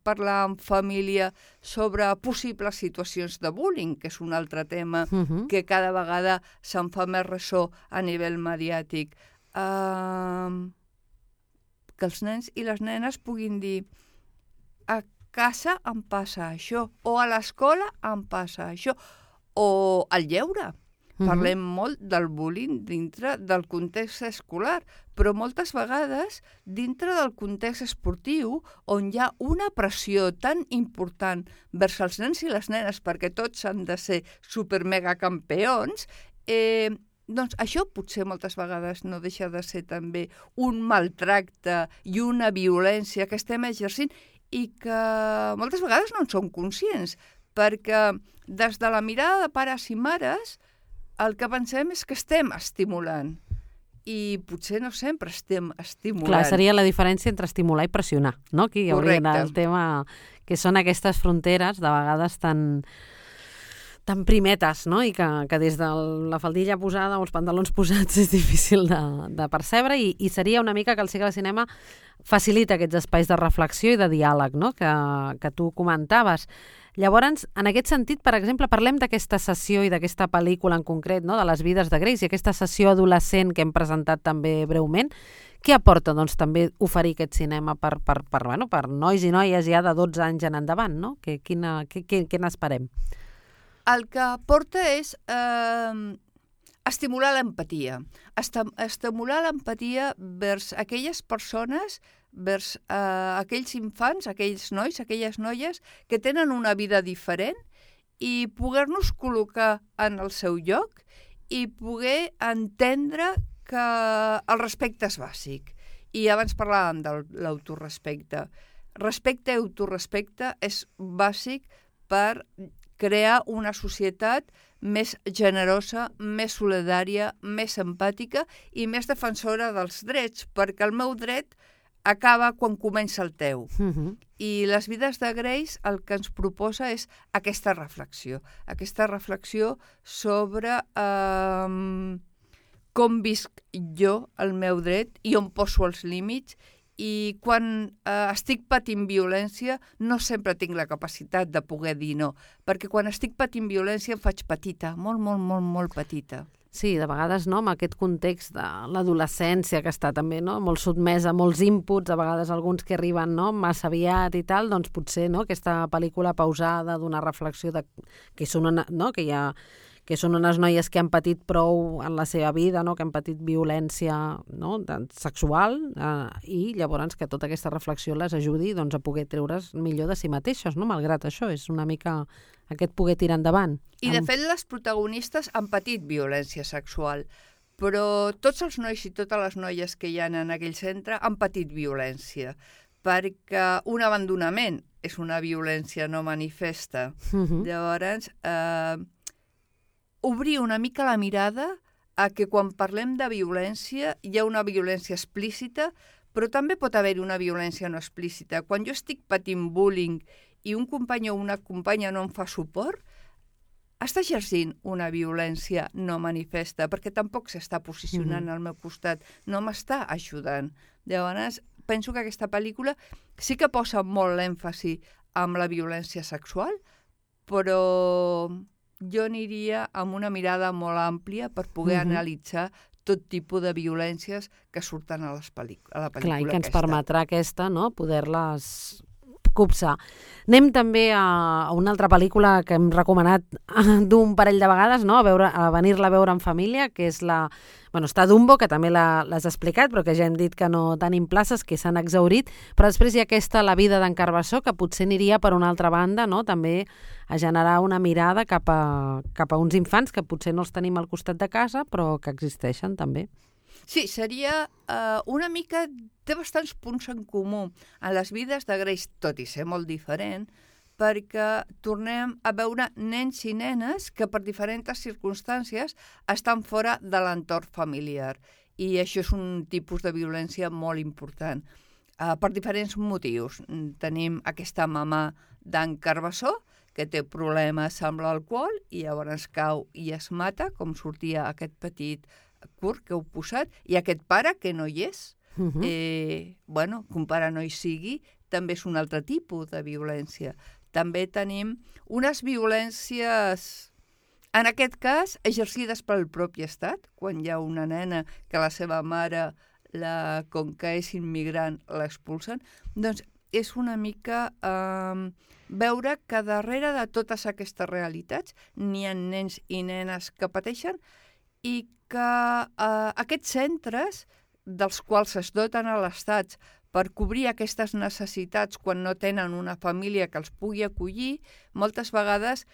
[SPEAKER 21] parlar en família sobre possibles situacions de bullying, que és un altre tema uh-huh. que cada vegada se'n fa més ressò a nivell mediàtic. Uh, que els nens i les nenes puguin dir a casa em passa això, o a l'escola em passa això, o al lleure. Uh-huh. Parlem molt del bullying dintre del context escolar, però moltes vegades dintre del context esportiu, on hi ha una pressió tan important vers els nens i les nenes perquè tots han de ser supermegacampions, eh, doncs això potser moltes vegades no deixa de ser també un maltracte i una violència que estem exercint i que moltes vegades no en som conscients, perquè des de la mirada de pares i mares el que pensem és que estem estimulant i potser no sempre estem estimulant.
[SPEAKER 2] Clar, seria la diferència entre estimular i pressionar, no? Aquí hi hauria
[SPEAKER 21] Correcte.
[SPEAKER 2] el tema que són aquestes fronteres de vegades tan, tan primetes, no? I que, que des de la faldilla posada o els pantalons posats és difícil de, de percebre i, i seria una mica que el cicle de cinema facilita aquests espais de reflexió i de diàleg, no? que, que tu comentaves. Llavors, en aquest sentit, per exemple, parlem d'aquesta sessió i d'aquesta pel·lícula en concret, no? De les vides de Grace, i aquesta sessió adolescent que hem presentat també breument. Què aporta doncs, també oferir aquest cinema per, per, per, bueno, per nois i noies ja de dotze anys en endavant? No? Que, quina, que, que, què n'esperem?
[SPEAKER 21] El que aporta és eh, estimular l'empatia. Estem, estimular l'empatia vers aquelles persones, vers eh, aquells infants, aquells nois, aquelles noies que tenen una vida diferent i poder-nos col·locar en el seu lloc i poder entendre que el respecte és bàsic. I abans parlàvem de l'autorespecte. Respecte i autorespecte és bàsic per crear una societat més generosa, més solidària, més empàtica i més defensora dels drets, perquè el meu dret acaba quan comença el teu.
[SPEAKER 2] Uh-huh.
[SPEAKER 21] I les vides de Grace el que ens proposa és aquesta reflexió, aquesta reflexió sobre eh, com visc jo el meu dret i on poso els límits, i quan eh, estic patint violència no sempre tinc la capacitat de poder dir no, perquè quan estic patint violència em faig petita, molt, molt, molt, molt petita.
[SPEAKER 2] Sí, de vegades no, amb aquest context de l'adolescència que està també no, molt sotmesa a molts inputs, a vegades alguns que arriben no, massa aviat i tal, doncs potser no, aquesta pel·lícula pausada d'una reflexió de, que, són una, no, que, hi ha, que són unes noies que han patit prou en la seva vida, no, que han patit violència no, sexual eh, i llavors que tota aquesta reflexió les ajudi doncs, a poder treure's millor de si mateixes, no, malgrat això, és una mica aquest poder tirar endavant.
[SPEAKER 21] I de fet les protagonistes han patit violència sexual, però tots els nois i totes les noies que hi ha en aquell centre han patit violència, perquè un abandonament és una violència no manifesta. Uh-huh. Llavors, eh, obrir una mica la mirada a que quan parlem de violència hi ha una violència explícita, però també pot haver una violència no explícita. Quan jo estic patint bullying i un company o una companya no em fa suport, està exercint una violència no manifesta, perquè tampoc s'està posicionant mm-hmm. al meu costat, no m'està ajudant. Llavors, penso que aquesta pel·lícula sí que posa molt l'èmfasi amb la violència sexual, però jo aniria amb una mirada molt àmplia per poder mm-hmm. analitzar tot tipus de violències que surten a, les pel·líc- a la pel·lícula.
[SPEAKER 2] Clar, i que ens
[SPEAKER 21] aquesta.
[SPEAKER 2] permetrà aquesta, no?, poder-les copsar. Anem també a, a una altra pel·lícula que hem recomanat d'un parell de vegades, no?, a, veure, a venir-la a veure en família, que és la... Bueno, està Dumbo, que també la, l'has explicat, però que ja hem dit que no tenim places, que s'han exhaurit, però després hi ha aquesta La vida d'en Carbassó, que potser aniria per una altra banda, no?, també a generar una mirada cap a, cap a uns infants que potser no els tenim al costat de casa, però que existeixen també.
[SPEAKER 21] Sí, seria uh, una mica... Té bastants punts en comú en les vides de Grace, tot i ser molt diferent, perquè tornem a veure nens i nenes que per diferents circumstàncies estan fora de l'entorn familiar. I això és un tipus de violència molt important. Uh, per diferents motius. Tenim aquesta mamà d'en Carbassó, que té problemes amb l'alcohol i llavors cau i es mata, com sortia aquest petit curt que heu posat, i aquest pare que no hi és. Uh-huh. Eh, bueno, que un pare no hi sigui, també és un altre tipus de violència. També tenim unes violències, en aquest cas, exercides pel propi estat, quan hi ha una nena que la seva mare, la, com que és immigrant, l'expulsen. Doncs és una mica eh, veure que darrere de totes aquestes realitats n'hi ha nens i nenes que pateixen i que eh, aquests centres dels quals es doten a l'Estat per cobrir aquestes necessitats quan no tenen una família que els pugui acollir, moltes vegades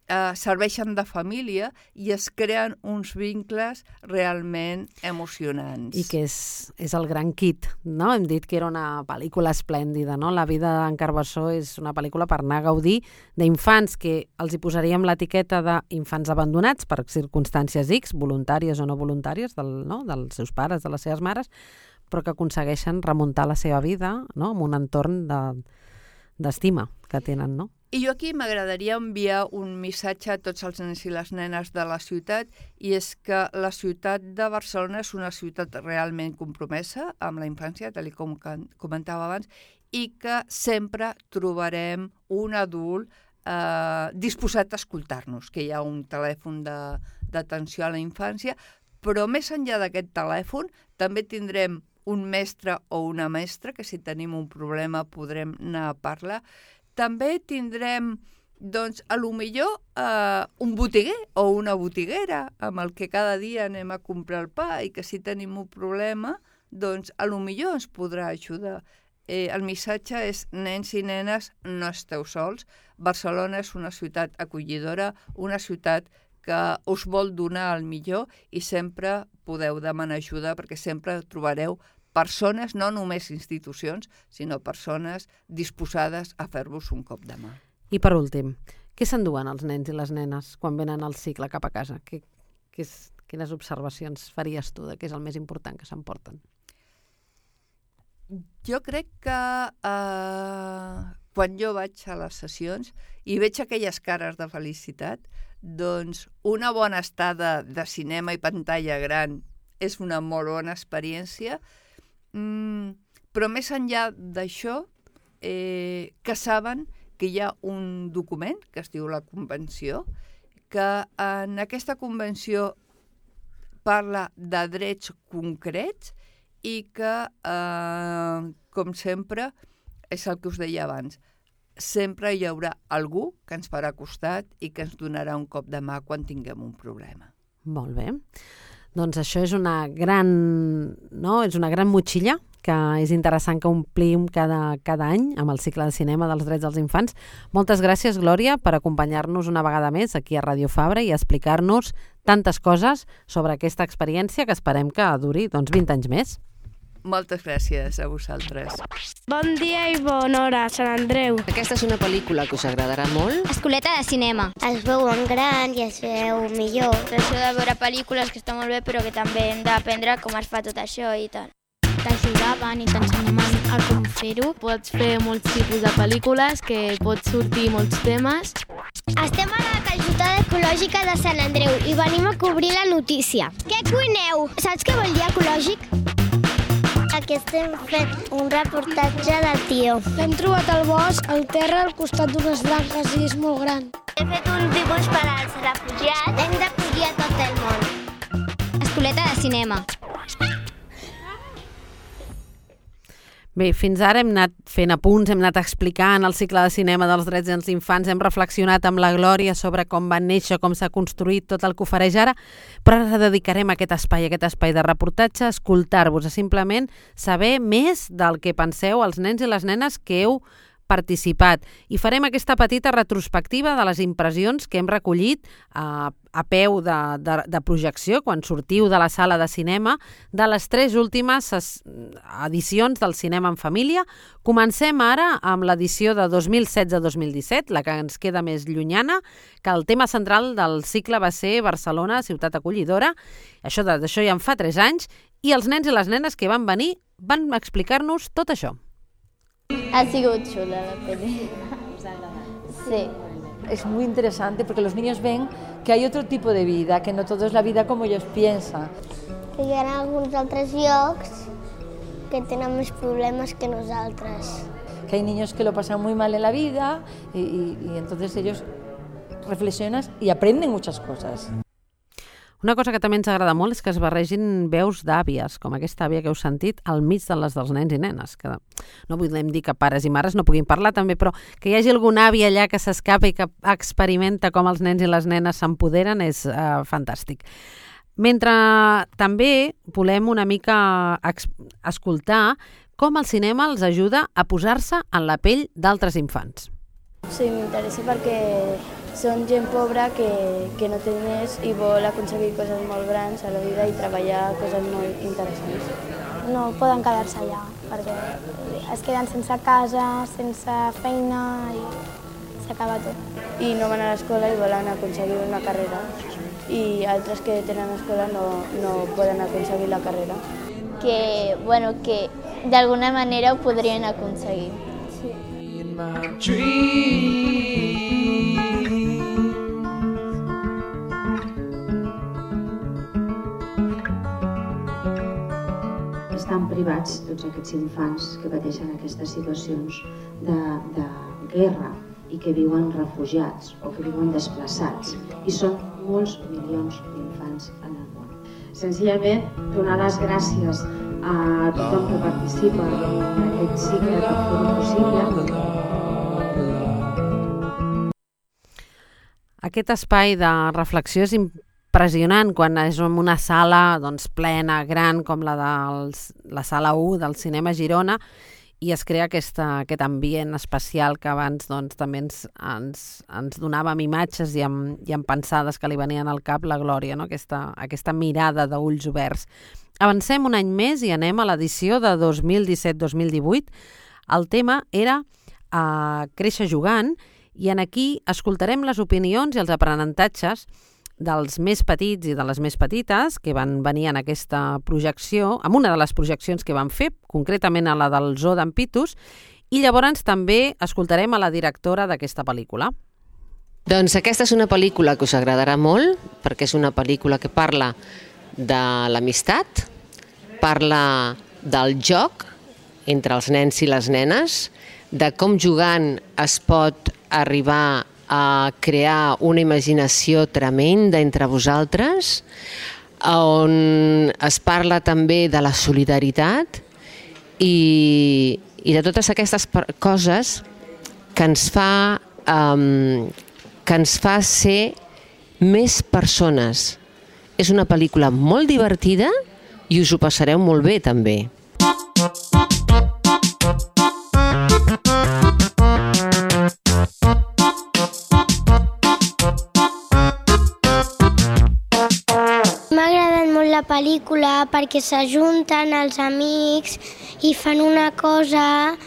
[SPEAKER 21] eh, serveixen de família i es creen uns vincles realment emocionants.
[SPEAKER 2] I que és, és el gran kit, no? Hem dit que era una pel·lícula esplèndida, no? La vida d'en Carbassó és una pel·lícula per anar a gaudir d'infants que els hi posaríem l'etiqueta d'infants abandonats per circumstàncies X, voluntàries o no voluntàries, del, no? dels seus pares, de les seves mares, però que aconsegueixen remuntar la seva vida, no? En un entorn de, d'estima que tenen, no?
[SPEAKER 21] I jo aquí m'agradaria enviar un missatge a tots els nens i les nenes de la ciutat, i és que la ciutat de Barcelona és una ciutat realment compromesa amb la infància, tal com comentava abans, i que sempre trobarem un adult eh, disposat a escoltar-nos, que hi ha un telèfon d'atenció a la infància, però més enllà d'aquest telèfon també tindrem un mestre o una mestra, que si tenim un problema podrem anar a parlar. També tindrem, doncs, a lo millor eh, un botiguer o una botiguera amb el que cada dia anem a comprar el pa i que si tenim un problema, doncs, a lo millor ens podrà ajudar. Eh, el missatge és, nens i nenes, no esteu sols. Barcelona és una ciutat acollidora, una ciutat que us vol donar el millor i sempre podeu demanar ajuda perquè sempre trobareu persones, no només institucions, sinó persones disposades a fer-vos un cop de mà.
[SPEAKER 2] I per últim, què s'enduen els nens i les nenes quan venen al cicle cap a casa? Què, què és, quines observacions faries tu de què és el més important que s'emporten?
[SPEAKER 21] Jo crec que eh, quan jo vaig a les sessions i veig aquelles cares de felicitat, doncs una bona estada de cinema i pantalla gran és una molt bona experiència, mm, però més enllà d'això, eh, que saben que hi ha un document que es diu la Convenció, que en aquesta Convenció parla de drets concrets i que, eh, com sempre, és el que us deia abans, sempre hi haurà algú que ens farà costat i que ens donarà un cop de mà quan tinguem un problema.
[SPEAKER 2] Molt bé. Doncs això és una gran, no? és una gran motxilla que és interessant que omplim cada, cada any amb el cicle de cinema dels drets dels infants. Moltes gràcies, Glòria, per acompanyar-nos una vegada més aquí a Ràdio Fabra i explicar-nos tantes coses sobre aquesta experiència que esperem que duri doncs, vint anys més.
[SPEAKER 21] Moltes gràcies a vosaltres.
[SPEAKER 1] Bon dia i bona hora, Sant Andreu.
[SPEAKER 6] Aquesta és una pel·lícula que us agradarà molt.
[SPEAKER 3] Escoleta de cinema.
[SPEAKER 4] Es veuen gran i es veu millor.
[SPEAKER 5] Això de veure pel·lícules que està molt bé, però que també hem d'aprendre com es fa tot això i tal.
[SPEAKER 22] T'ajudaven i t'ensenyaven a com fer-ho. Pots fer molts tipus de pel·lícules que pots sortir molts temes.
[SPEAKER 4] Estem a la calçotada ecològica de Sant Andreu i venim a cobrir la notícia. Què cuineu? Saps què vol dir ecològic? Aquí estem fent un reportatge de Tio.
[SPEAKER 1] L'hem trobat al bosc, al terra, al costat d'unes branques i és molt gran.
[SPEAKER 4] He fet un dibuix per als refugiats. Hem d'acollir a tot el món.
[SPEAKER 3] Escoleta de cinema.
[SPEAKER 2] Bé, fins ara hem anat fent apunts, hem anat explicant el cicle de cinema dels drets dels infants, hem reflexionat amb la Glòria sobre com va néixer, com s'ha construït tot el que ofereix ara, però ara dedicarem aquest espai, aquest espai de reportatge, a escoltar-vos, a simplement saber més del que penseu els nens i les nenes que heu participat. I farem aquesta petita retrospectiva de les impressions que hem recollit a, a peu de, de, de projecció quan sortiu de la sala de cinema de les tres últimes edicions del Cinema en Família. Comencem ara amb l'edició de dos mil setze dos mil disset, la que ens queda més llunyana, que el tema central del cicle va ser Barcelona, ciutat acollidora. Això, d'això ja en fa tres anys, i els nens i les nenes que van venir van explicar-nos tot això.
[SPEAKER 23] Ha sigut chula la peli.
[SPEAKER 6] ¿Os ha agradado?
[SPEAKER 23] Sí.
[SPEAKER 24] Es muy interesante porque los niños ven que hay otro tipo de vida, que no todo es la vida como ellos piensan.
[SPEAKER 4] Que hi ha alguns altres llocs que tenen més problemes que nosaltres.
[SPEAKER 24] Que hay niños que lo pasan muy mal en la vida y, y, y entonces ellos reflexionan y aprenden muchas cosas.
[SPEAKER 2] Una cosa que també ens agrada molt és que es barregin veus d'àvies, com aquesta àvia que heu sentit, al mig de les dels nens i nenes. Que no volem dir que pares i mares no puguin parlar també, però que hi hagi algun avi allà que s'escapa i que experimenta com els nens i les nenes s'empoderen és uh, fantàstic. Mentre també volem una mica escoltar com el cinema els ajuda a posar-se en la pell d'altres infants.
[SPEAKER 22] Sí, m'interessa perquè són gent pobra que, que no té diners i vol aconseguir coses molt grans a la vida i treballar coses molt interessants.
[SPEAKER 9] No poden quedar-se allà perquè es queden sense casa, sense feina i s'acaba tot.
[SPEAKER 22] I no van a l'escola i volen aconseguir una carrera i altres que tenen escola no, no poden aconseguir la carrera.
[SPEAKER 23] Que, bueno, que d'alguna manera ho podrien aconseguir.
[SPEAKER 9] Sí.
[SPEAKER 10] Estan privats tots aquests infants que pateixen aquestes situacions de, de guerra i que viuen refugiats o que viuen desplaçats. I són molts milions d'infants en el món. Senzillament, donar les gràcies a tothom que participa en aquest cicle per fer-ho possible.
[SPEAKER 2] Aquest espai de reflexió és impressionant quan és en una sala doncs, plena, gran, com la de la sala u del Cinema Girona, i es crea aquesta, aquest ambient especial que abans doncs, també ens, ens, ens donàvem imatges i amb, i amb pensades que li venien al cap la Glòria, no? aquesta, aquesta mirada d'ulls oberts. Avancem un any més i anem a l'edició de dos mil disset dos mil divuit. El tema era uh, Créixer jugant, i en aquí escoltarem les opinions i els aprenentatges dels més petits i de les més petites que van venir en aquesta projecció, en una de les projeccions que van fer, concretament a la del Zoo d'en Pitus, i llavors també escoltarem a la directora d'aquesta pel·lícula.
[SPEAKER 6] Doncs aquesta és una pel·lícula que us agradarà molt, perquè és una pel·lícula que parla de l'amistat, parla del joc entre els nens i les nenes, de com jugant es pot arribar a crear una imaginació tremenda entre vosaltres, on es parla també de la solidaritat i, i de totes aquestes coses que ens fa, um, que ens fa ser més persones. És una pel·lícula molt divertida i us ho passareu molt bé també.
[SPEAKER 4] La pel·lícula perquè s'ajunten els amics i fan una cosa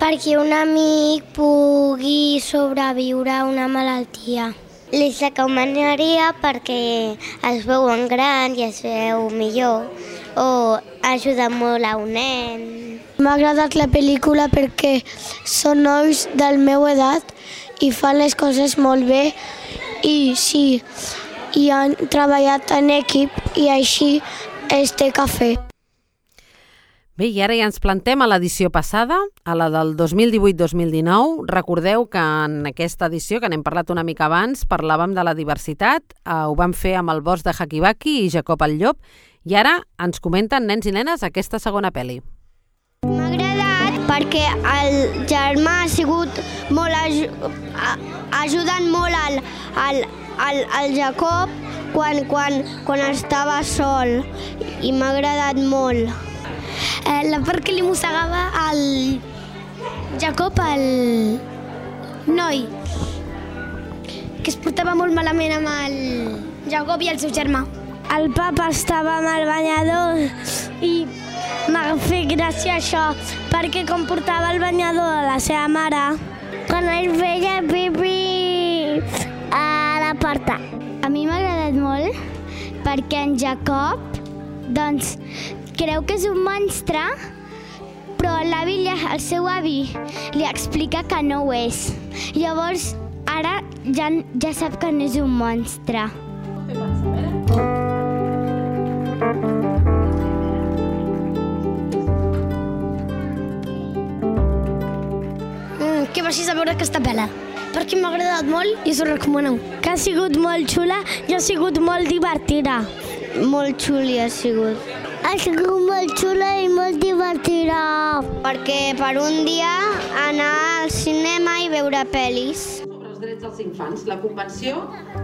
[SPEAKER 4] perquè un amic pugui sobreviure a una malaltia. Les recomanaria perquè es veuen gran i es veu millor o ajuda molt a un nen.
[SPEAKER 9] M'ha agradat la pel·lícula perquè són nois del meu edat i fan les coses molt bé i sí, i han treballat en equip i així es té que fer.
[SPEAKER 2] Bé, i ara ja ens plantem a l'edició passada, a la del dos mil divuit dos mil dinou. Recordeu que en aquesta edició, que n'hem parlat una mica abans, parlàvem de la diversitat, eh, ho vam fer amb el Bosc de Hakibaki i Jacob el Llop, i ara ens comenten nens i nenes aquesta segona pel·li.
[SPEAKER 4] M'ha agradat perquè el germà ha sigut molt... ha ajudat molt al... al El, el Jacob quan, quan, quan estava sol i m'ha agradat molt.
[SPEAKER 9] Eh, la part que li mossegava el Jacob, el noi, que es portava molt malament amb el Jacob i el seu germà. El papa estava amb el banyador i m'ha fet gràcia això, perquè com portava el banyador a la seva mare, quan ell feia pipí a la porta.
[SPEAKER 23] A mi m'ha agradat molt perquè en Jacob doncs, creu que és un monstre, però l'avi, el seu avi, li explica que no ho és. Llavors, ara ja, ja sap que no és un monstre.
[SPEAKER 9] Mm, què vas a veure aquesta pel·la? Perquè m'ha agradat molt i us ho recomano. Que ha sigut molt xula i ha sigut molt divertida.
[SPEAKER 4] Molt xuli ha sigut.
[SPEAKER 9] Ha sigut molt xula i molt divertida.
[SPEAKER 4] Perquè per un dia anar al cinema i veure pel·lis.
[SPEAKER 2] Sobre els drets dels infants, la Convenció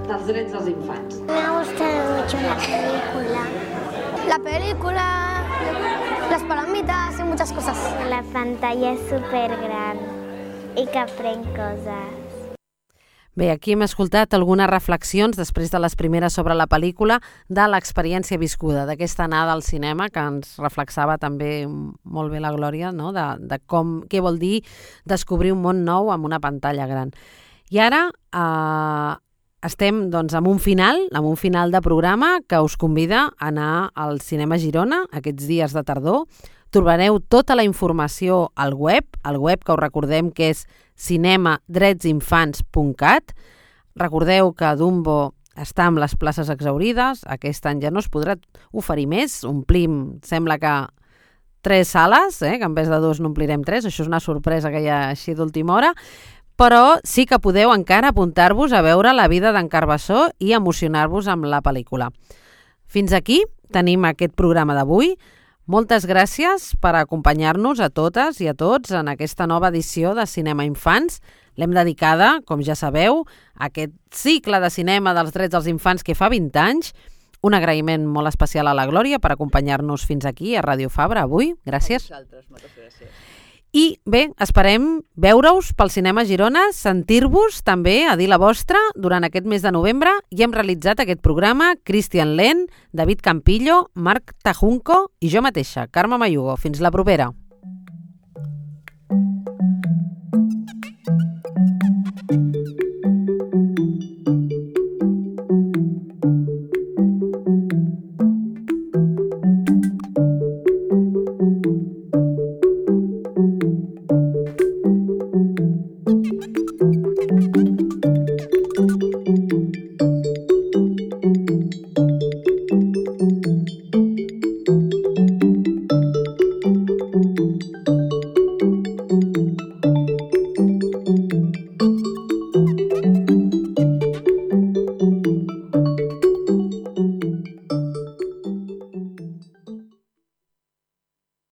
[SPEAKER 2] dels Drets dels Infants.
[SPEAKER 9] M'ha gustat mucho la película. La película, las palomitas y muchas cosas.
[SPEAKER 23] La pantalla es súper gran.
[SPEAKER 13] i que aprenc coses.
[SPEAKER 2] Bé, aquí hem escoltat algunes reflexions després de les primeres sobre la pel·lícula de l'experiència viscuda, d'aquesta anada al cinema que ens reflexava també molt bé la Glòria, no? de, de com, què vol dir descobrir un món nou amb una pantalla gran. I ara eh, estem doncs, amb un final, amb un final de programa que us convida a anar al Cinema Girona aquests dies de tardor. Trobareu tota la informació al web, al web que us recordem que és cinema drets infants punt cat. Recordeu que Dumbo està amb les places exaurides, aquest any ja no es podrà oferir més, omplim, sembla que tres sales, eh? que en vez de dos n'omplirem tres, això és una sorpresa que hi ha així d'última hora, però sí que podeu encara apuntar-vos a veure La vida d'en Carbassó i emocionar-vos amb la pel·lícula. Fins aquí tenim aquest programa d'avui. Moltes gràcies per acompanyar-nos a totes i a tots en aquesta nova edició de Cinema Infants. L'hem dedicada, com ja sabeu, a aquest cicle de cinema dels drets dels infants que fa vint anys. Un agraïment molt especial a la Glòria per acompanyar-nos fins aquí a Ràdio Fabra avui. Gràcies.
[SPEAKER 21] A vosaltres, moltes gràcies.
[SPEAKER 2] I bé, esperem veure-us pel Cinema Girona, sentir-vos també a dir la vostra durant aquest mes de novembre, i hem realitzat aquest programa Cristian Len, David Campillo, Marc Tajunco i jo mateixa, Carme Mayugo. Fins la propera.